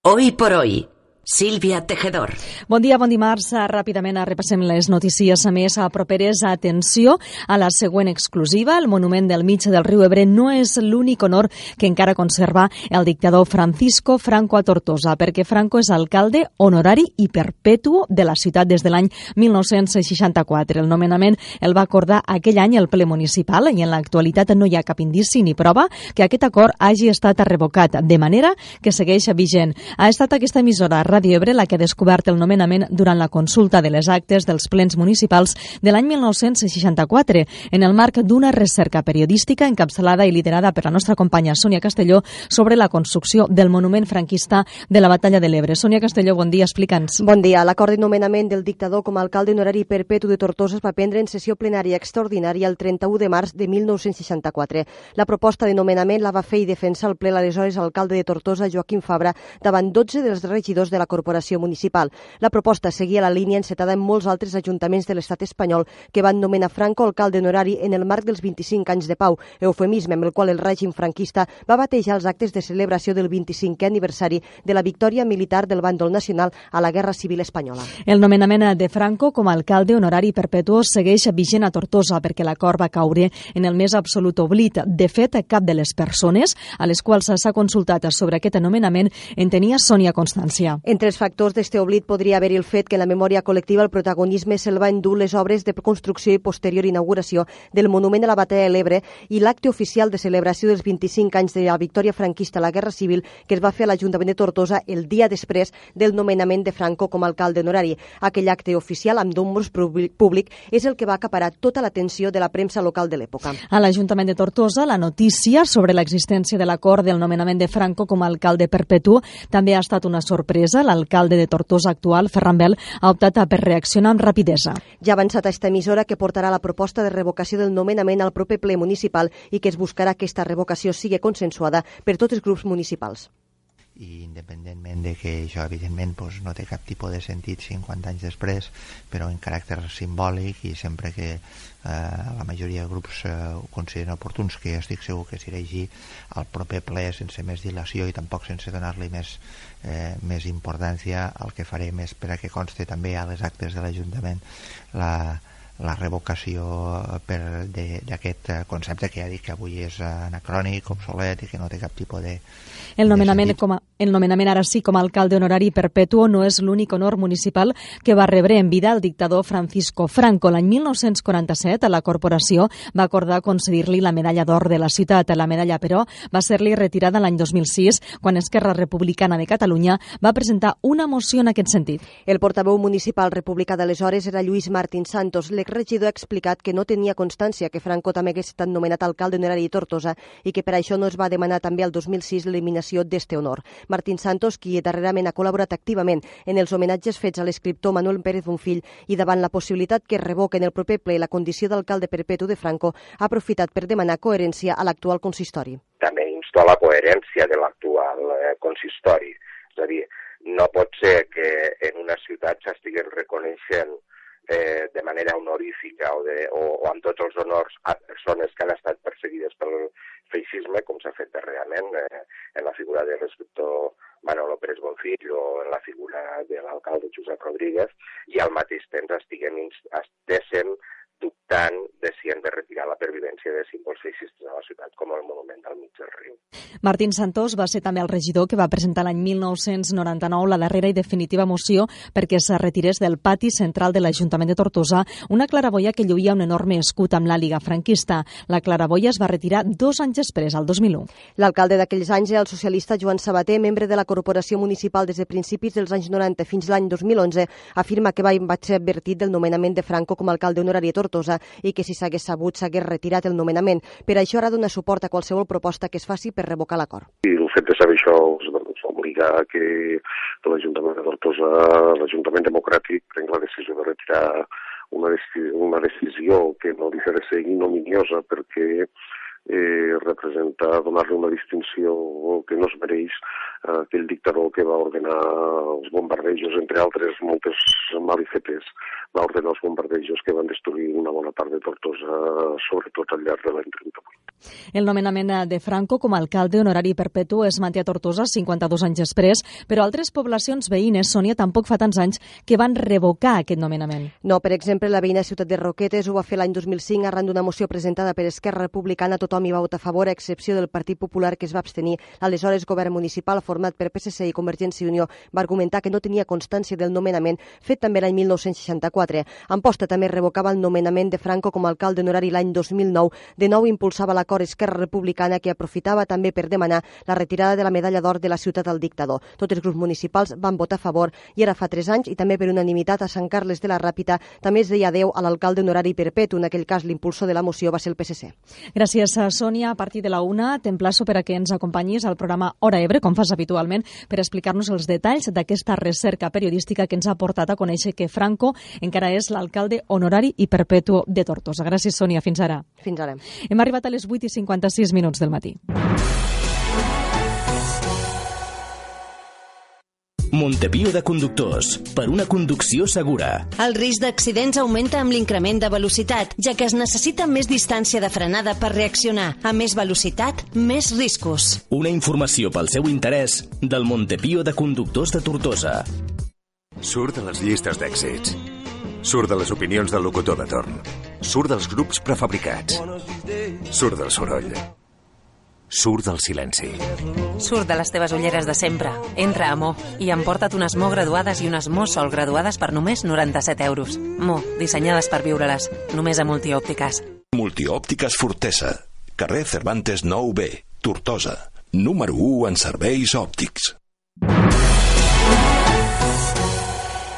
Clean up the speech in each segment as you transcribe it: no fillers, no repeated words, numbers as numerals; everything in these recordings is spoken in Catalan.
Hoy por hoy, Sílvia Tejedor. Bon dia, bon dimarts. Ràpidament repassem les notícies més properes. Atenció a la següent exclusiva. El monument del mig del riu Ebre no és l'únic honor que encara conserva el dictador Francisco Franco a Tortosa, perquè Franco és alcalde honorari i perpetu de la ciutat des de l'any 1964. El nomenament el va acordar aquell any el ple municipal i en l'actualitat no hi ha cap indici ni prova que aquest acord hagi estat revocat, de manera que segueix vigent. Ha estat aquesta emissora, Ràdio Ebre, la que ha descobert el nomenament durant la consulta de les actes dels plens municipals de l'any 1964, en el marc d'una recerca periodística encapçalada i liderada per la nostra companya Sònia Castelló sobre la construcció del monument franquista de la Batalla de l'Ebre. Sònia Castelló, bon dia, explica'ns. Bon dia. L'acord de nomenament del dictador com a alcalde honorari perpetu de Tortosa es va prendre en sessió plenària extraordinària el 31 de març de 1964. La proposta de nomenament la va fer i defensar al ple l'aleshores alcalde de Tortosa, Joaquim Fabra, davant 12 dels regidors de la corporació municipal. La proposta seguia la línia encetada en molts altres ajuntaments de l'estat espanyol que van nomenar Franco alcalde honorari en el marc dels 25 anys de pau, eufemisme amb el qual el règim franquista va batejar els actes de celebració del 25è aniversari de la victòria militar del bàndol nacional a la Guerra Civil Espanyola. El nomenament de Franco com a alcalde honorari perpetu segueix vigent a Tortosa perquè l'acord va caure en el més absolut oblit. De fet, cap de les persones a les quals s'ha consultat sobre aquest nomenament en tenia Sònia constància. Entre els factors d'este oblit podria haver-hi el fet que en la memòria col·lectiva el protagonisme se'l va endur les obres de construcció i posterior inauguració del monument a la Batalla de l'Ebre i l'acte oficial de celebració dels 25 anys de la victòria franquista a la Guerra Civil que es va fer a l'Ajuntament de Tortosa el dia després del nomenament de Franco com a alcalde honorari. Aquell acte oficial amb números públic és el que va acaparar tota l'atenció de la premsa local de l'època. A l'Ajuntament de Tortosa, la notícia sobre l'existència de l'acord del nomenament de Franco com a alcalde perpetu també ha estat una sorpresa. L'alcalde de Tortosa actual, Ferran Bel, ha optat per reaccionar amb rapidesa. Ja ha avançat a esta emissora que portarà la proposta de revocació del nomenament al proper ple municipal i que es buscarà que aquesta revocació sigui consensuada per tots els grups municipals. I independentment de que això evidentment no té cap tipus de sentit 50 anys després, però en caràcter simbòlic i sempre que la majoria de grups ho consideren oportuns, que jo estic segur que s'irà així al proper ple sense més dilació i tampoc sense donar-li més importància, el que farem és per a que conste també a les actes de l'Ajuntament la revocació d'aquest concepte que ja dic que avui és anacrònic, obsolet i que no té cap tipus de El nomenament ara sí com a alcalde honorari perpetu no és l'únic honor municipal que va rebre en vida el dictador Francisco Franco. L'any 1947 la corporació va acordar concedir-li la medalla d'or de la ciutat. La medalla, però, va ser-li retirada l'any 2006 quan Esquerra Republicana de Catalunya va presentar una moció en aquest sentit. El portaveu municipal republicà d'aleshores era Lluís Martín Santos. L'exregidor ha explicat que no tenia constància que Franco també hagués estat nomenat alcalde honorari de Tortosa i que per això no es va demanar també al 2006 l'eliminació d'este honor. Martín Santos, qui darrerament ha col·laborat activament en els homenatges fets a l'escriptor Manuel Pérez Bonfill i davant la possibilitat que es revoquen el proper ple la condició d'alcalde perpetu de Franco, ha aprofitat per demanar coherència a l'actual consistori. També insto a la coherència de l'actual consistori. És a dir, no pot ser que en una ciutat s'estiguin reconeixent de manera honorífica o amb tots els honors a persones que han estat perseguides pel feixisme, com s'ha fet darrerament en la figura de l'escriptor Manolo Pérez Bonfill o en la figura de l'alcalde Josep Rodríguez, i al mateix temps estiguem dubtant de si hem de retirar la pervivència de símbols feixistes a la ciutat, com el monument del mig del riu. Martín Santos va ser també el regidor que va presentar l'any 1999 la darrera i definitiva moció perquè es retirés del pati central de l'Ajuntament de Tortosa una claraboia que lluïa un enorme escut amb l'àliga franquista. La claraboia es va retirar 2 anys després, al 2001. L'alcalde d'aquells anys era el socialista Joan Sabater, membre de la corporació municipal des de principis dels anys 90 fins l'any 2011, afirma que va ser advertit del nomenament de Franco com a alcalde honorari de Tortosa i que si s'hagués sabut s'hagués retirat el nomenament. Per això ara dona suport a qualsevol proposta que es faci per revocar l'acord. I el fet de saber això us obliga a que l'Ajuntament de Tortosa, l'Ajuntament Democràtic, prenc la decisió de retirar una decisió que no deixa de ser ignominiosa perquè representa donar-li una distinció que no es mereix aquell dictador que va ordenar els bombardejos, entre altres moltes malifetes, va ordenar els bombardejos que van destruir una bona part de Tortosa, sobretot al llarg de l'any 38. El nomenament de Franco com a alcalde honorari perpetu es manté a Tortosa 52 anys després, però altres poblacions veïnes, Sònia, tampoc fa tants anys que van revocar aquest nomenament. No, per exemple, la veïna ciutat de Roquetes ho va fer l'any 2005 arran d'una moció presentada per Esquerra Republicana. Tothom hi va votar a favor, a excepció del Partit Popular, que es va abstenir. L'aleshores govern municipal, format per PSC i Convergència i Unió, va argumentar que no tenia constància del nomenament fet també l'any 1964. Amposta també revocava el nomenament de Franco com a alcalde honorari l'any 2009. De nou impulsava l'acord Esquerra Republicana, que aprofitava també per demanar la retirada de la medalla d'or de la ciutat al dictador. Tots els grups municipals van votar a favor i ara fa 3 anys, i també per unanimitat a Sant Carles de la Ràpita, també es deia adeu a l'alcalde honorari perpetu. En aquell cas, l'impulsor de la moció va ser el PSC. Gràcies, Sònia. A partir de la 1 t'emplaço per a que ens acompanyis al programa Hora Ebre, com fas habitualment, per explicar-nos els detalls d'aquesta recerca periodística que ens ha portat a conèixer que Franco encara és l'alcalde honorari i perpetu de Tortosa. Gràcies, Sònia. Fins ara. Fins ara. Hem arribat a les 8:56 del matí. Montepío de conductors, per una conducció segura. El risc d'accidents augmenta amb l'increment de velocitat, ja que es necessita més distància de frenada per reaccionar. A més velocitat, més riscos. Una informació pel seu interès del Montepío de conductors de Tortosa. Surt de les llistes d'èxits. Surt de les opinions del locutor de torn. Surt dels grups prefabricats. Surt del soroll. Surt del silenci. Surt de les teves ulleres de sempre. Entra a Mo i emporta't unes Mo graduades i unes Mo Sol graduades per només 97 euros. Mo, dissenyades per viure-les. Només a Multiòptiques. Multiòptiques Fortesa. Carrer Cervantes 9B, Tortosa. Número 1 en serveis òptics.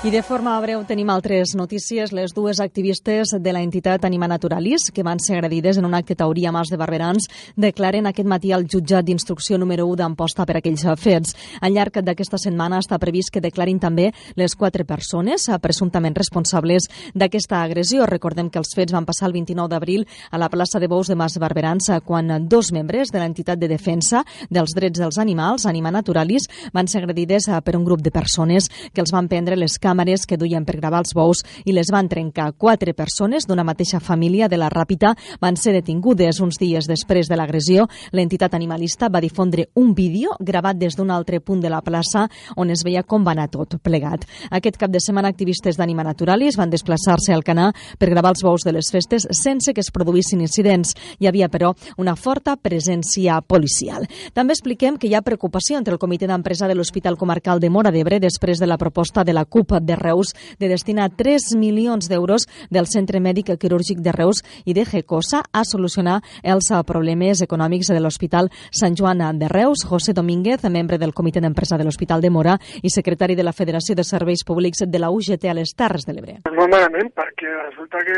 I de forma breu tenim altres notícies. Les dues activistes de la entitat Anima Naturalis, que van ser agredides en un acte taurí a Mas de Barberans, declaren aquest matí al jutjat d'instrucció número 1 d'Amposta per aquells fets. Al llarg d'aquesta setmana està previst que declarin també les 4 persones presumptament responsables d'aquesta agressió. Recordem que els fets van passar el 29 d'abril a la plaça de Bous de Mas de Barberans, quan 2 membres de l'entitat de defensa dels drets dels animals, Anima Naturalis, van ser agredides per un grup de persones que els van prendre les càmeres que duien per gravar els bous i les van trencar. 4 persones d'una mateixa família de la Ràpita van ser detingudes. Uns dies després de l'agressió, l'entitat animalista va difondre un vídeo gravat des d'un altre punt de la plaça on es veia com va anar tot plegat. Aquest cap de setmana, activistes d'Anima Naturalis van desplaçar-se al Canà per gravar els bous de les festes sense que es produïssin incidents. Hi havia, però, una forta presència policial. També expliquem que hi ha preocupació entre el comitè d'empresa de l'Hospital Comarcal de Móra d'Ebre després de la proposta de la CUP de Reus de destinar 3 milions d'euros del Centre Mèdic Quirúrgic de Reus i de GECOSA a solucionar els problemes econòmics de l'Hospital Sant Joan de Reus. José Domínguez, membre del comitè d'empresa de l'Hospital de Móra i secretari de la Federació de Serveis Públics de la UGT a les Terres de l'Ebre. Molt malament, perquè resulta que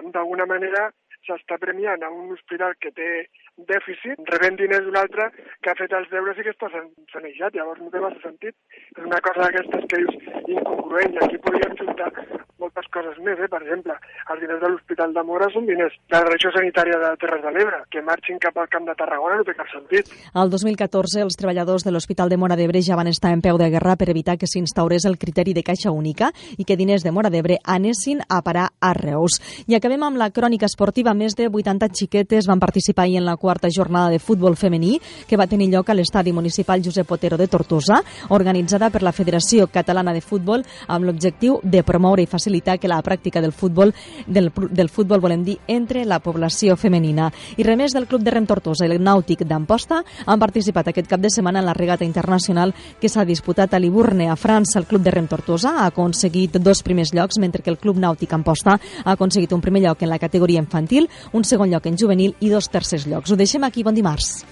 d'alguna manera s'està premiant a un hospital que té dèficit, rebent diners d'un altre que ha fet els deures i que està sanejat. Llavors no té massa sentit. És una cosa d'aquestes que dius incongruent, i aquí podríem juntar moltes coses més. Per exemple, els diners de l'Hospital de Móra són diners de la regió sanitària de Terres de l'Ebre. Que marxin cap al Camp de Tarragona no té cap sentit. El 2014, els treballadors de l'Hospital de Móra d'Ebre ja van estar en peu de guerra per evitar que s'instaurés el criteri de caixa única i que diners de Móra d'Ebre anessin a parar a Reus. I acabem amb la crònica esportiva. Més de 80 xiquetes van participar ahir en la 4ª jornada de futbol femení que va tenir lloc a l'estadi municipal Josep Otero de Tortosa, organitzada per la Federació Catalana de Futbol amb l'objectiu de promoure i facilitar que la pràctica del futbol, volem dir, entre la població femenina. I remés del Club de Rem Tortosa i el Nàutic d'Amposta han participat aquest cap de setmana en la regata internacional que s'ha disputat a Liburne, a França. El Club de Rem Tortosa ha aconseguit 2 primers llocs, mentre que el Club Nàutic Amposta ha aconseguit un primer lloc en la categoria infantil, un segon lloc en juvenil i 2 tercers llocs. Ho deixem aquí. Bon dimarts.